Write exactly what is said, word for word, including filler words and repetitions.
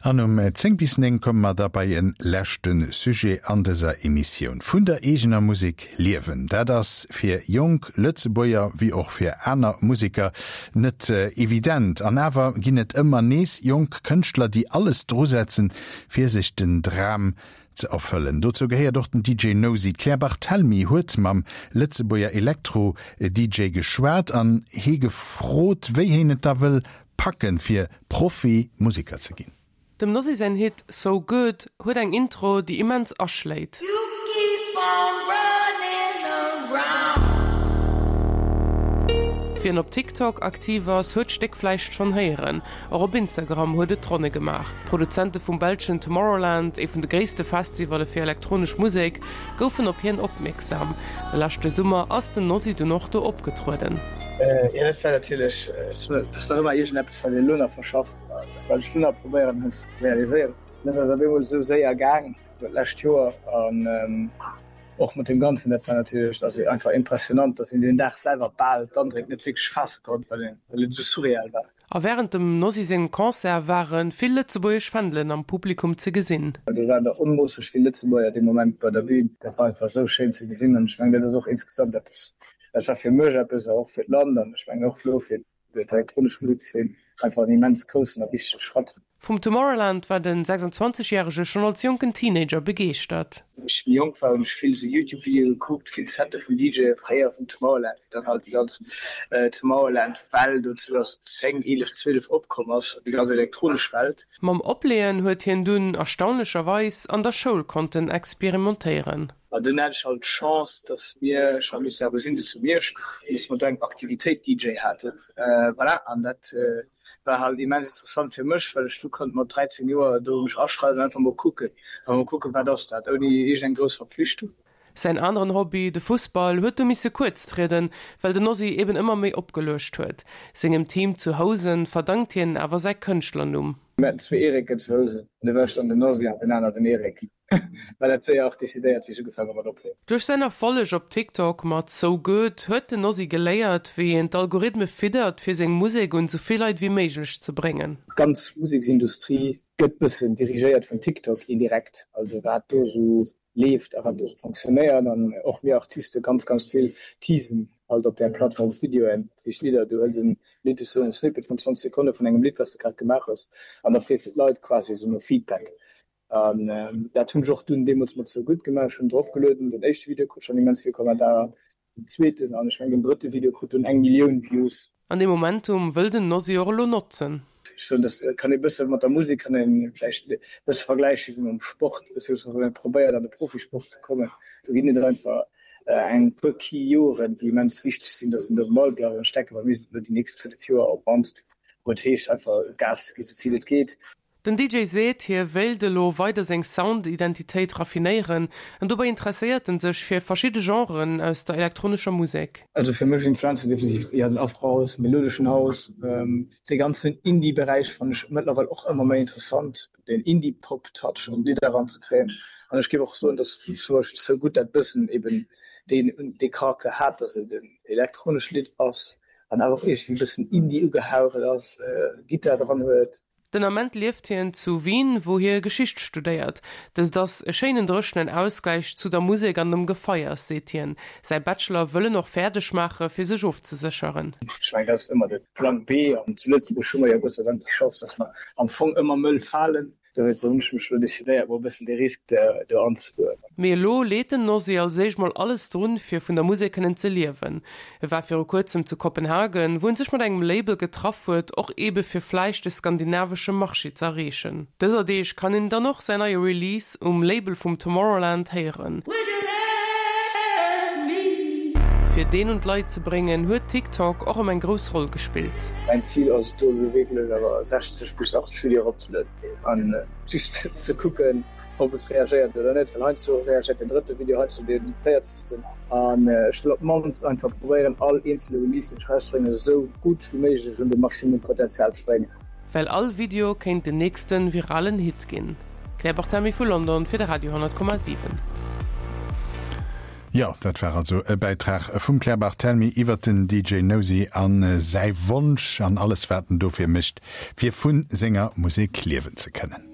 An um zéng bis néng komme mer da bei e leschte Sujet an dëser Emissioun. Vun der eegener Musek liewen, dat ass fir jonk Lëtzebuerger wéi och fir aner Museker net evident. An awer ginn et ëmmer nees jonk Kënschtler, déi alles drusetzen, fir sech den Dram ze erfëllen. Dozou gehéiert och den D J Nosi. D'Claire Barthelmy huet mam Lëtzebuerger Elektro-D J geschwat an hie gefrot, wéi hien et da wëll packen, fir Profi-Museker ze ginn. Dem Nosi säin Hit So Good huet eng Intro, déi immens aschléit. You keep on running around. Wien op TikTok aktiv ass, huet d'Stéck vläicht schonn héieren. Och op Instagram huet et d'Ronne gemaach. D'Produzente vum belschen Tomorrowland, ee vun de gréisste Festivalle fir elektronesch Musek, goufen op hien opmierksam. De leschte Summer ass den Nosi dunn och do opgetrueden. Jo, dat war natierlech, dat ass nach ëmmer iergendeppes, wat een elo nach verschafft, wat ech elo nach probéieren ze realiséieren. Dat ass op eemol esou séier gaang dat lescht Joer an och mat deem Ganzen, dat war natierlech also einfach impressionant, dass een deen Dag selwer bal d'Andréck net wierklech faasse konnt, well een, well et esou surreal war. A wärend dem Nosi sengem Concert ware vill lëtzebuergesch Fändelen am Publikum ze gesinn. Do waren der onmoosseg vill Lëtzebuerger dee Moment bei der Bün. Dat war einfach esou schéin ze gesinn an ech mengen, dat ass och insgesamt eppes, dat war fir mech eppes a och fir d'Land an ech mengen och elo fir d'elektronesch Musekszeen einfach en immens groussen a wichtege Schratt. Vum Tomorrowland war de sechsundzwanzeg järege schonn als jonken Teenager begeeschtert. Wéi ech méi jonk war, hunn ech vill esou Youtube-Videoe gekuckt, vill Sette vun D J-e fréier vum Tomorrowland, wéi dann halt déi ganz Tomorrowland-Well do zweedausendzéng, eelef, zwielef opkomm ass, déi ganz elektronesch Welt. Mam Opleeën huet hien dunn erstaunlecherweis an der Schoul konnten experimentéieren. An dunn hat ech halt d'Chance, dass mir, ech war Lycée Abusinde zu Miersch, dass mer do eng Aktivitéit D J haten. Voilà, an dat war halt immens interessant fir mech, well ech du konnt mat dräizéng Joer do mech aschreiwen an einfach mol kucken, einfach mol kucken, wat ass dat, ouni iergendeng grouss Verpflichtung. Säin aneren Hobby, de Fussball, huet du misse kuerz trieden, well den Nosi eben ëmmer méi opgeluecht huet. Sengem Team zu Housen verdankt hien awer säi Kënschtlernumm. Mir haten zwee Eriken zu Housen, an du war ech dann den Nosi an den aner den Erik. War dat séier och decidéiert, wéi ech ugefaangen hu mat opleeën. Duerch säin Erfolleg op TikTok mat So Good huet den Nosi geléiert, wéi een d'Algorithme fiddert, fir seng Musek un sou vill Leit wéi méiglech ze bréngen. D'ganz Museksindustrie gëtt bëssen dirigéiert vun TikTok indirekt, also wat do sou leeft a wat do sou fonctionnéiert an och mir Artiste ganz ganz vill teasen halt op där Plattform Videoen, dat heescht Lidder, du hëls en Lidd, esou en Snippet vun zwanzeg Sekonne vun engem Lidd, wat s de grad gemaach hues an da frees de d'Leit quasi esou no Feedback. An dat hunn ech och dunn deemools mat So Good gemaach. Ech hunn drop gelueden, den éischte Video krut schonn immens vill Kommentarer, den zweeten an ech mengen den drëtte Video krut dunn eng Millioun Views. An dee Momentum wëll den Nosi och elo notzen. Ech soen, dat kann ee bësse mat der Musek kann ee vläicht e bësse vergläiche wéi mam Sport, beziehungsweise wann ee probéiert an de Profisport ze kommen, do ginn et einfach eng puer key Joren, déi immens wichteg sinn, datt een do um Ball bleift. An ech denke bei mir sinn et elo déi nächst fënnef Joer op d'mannst, wou et heescht einfach Gas ze gi sou vill et geet. Den D J seet, hie wéilt elo weider seng Sound-Identitéit raffinéieren an dobäi interesséiert en sech fir verschidde Genren aus der elektronescher Musek. Also fir mech Influenzen definitiv éier den Afro-House, melodeschen House, dee ganzen Indie-Beräich fannen ech mëttlerweil och ëmmer méi interessant, den Indie-Pop-Touch an d'Lidder eranzekréien. An ech géif och soen, dass zum Beispill So Good dat bëssen eben deen dee Charakter hat, dass et en elektronescht Lidd ass an awer och iergendwéi e bëssen Indie ugehaucht ass, Gittar dran huet. Den Ament lieft hien zu Wien, wou hie Geschicht studéiert. Dëst ass e schéinen dréchenen Ausgläich zu der Musek an dem Gefeiers, seet hien. Säi Bachelor wëll en och fäerdeg maache fir sech ofzesécheren. Ech mengen, dat ass ëmmer de Plang B. An zu Lëtzebuerg hu mer jo Gott sei Dank déi Chance, dass mer am Fong ëmmer mëll falen. Dowéinster hunn ech mech elo decidéiert, mol e bëssen dee Risk do anzegoen. Mee elo leet den Nosi als éischt mol alles drun, fir vun der Musek kënnen ze liewen. E war viru kuerzem zu Kopenhagen, wou en sech mat engem Label getraff huet, och eebe fir vläicht de skandinavesche Marché ze erreechen. Dëser Deeg kann een dann och säin neie Release um Label vum Tomorrowland héieren. Fir deen un d'Leit ze bréngen, huet TikTok och erëm eng grouss Roll gespillt. Mäin Zil ass et do elo wierklech awer sechzeg bis achtzeg Videoen eropzelueden an just ze kucken, ob et reagéiert oder net, well heiansdo reagéiert den drëtte Video, heiansdo dee véierzegsten. An ech wëll op d'mannst einfach probéieren, all eenzele Release, deen ech erausbréngen, esou gutt wéi méiglech un de Maximum Potenzial ze bréngen. Well all Video kéint den nächste viralen Hit ginn. Claire Barthelmy vu London fir de Radio honnert Komma siwen. Jo, dat war also e Bäitrag vum Claire Barthelmy iwwert den D J Nosi a säi Wonsch an alles wat en dofir mécht, fir vu senger Musek liewen ze kënnen.